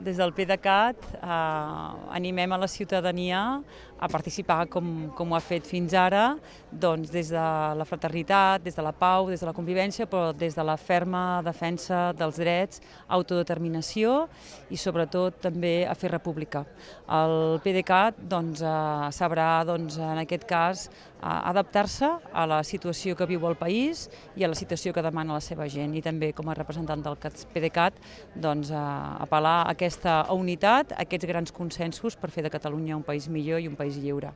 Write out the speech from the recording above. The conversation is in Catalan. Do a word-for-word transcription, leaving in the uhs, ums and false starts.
Des del PDeCAT eh, animem a la ciutadania a participar com, com ho ha fet fins ara, doncs des de la fraternitat, des de la pau, des de la convivència, però des de la ferma defensa dels drets, autodeterminació i sobretot també a fer república. El PDeCAT doncs, eh, sabrà doncs, en aquest cas eh, adaptar-se a la situació que viu el país i a la situació que demana la seva gent, i també com a representant del PDeCAT doncs, eh, apel·lar a aquesta unitat, a aquests grans consensos per fer de Catalunya un país millor i un país lliure.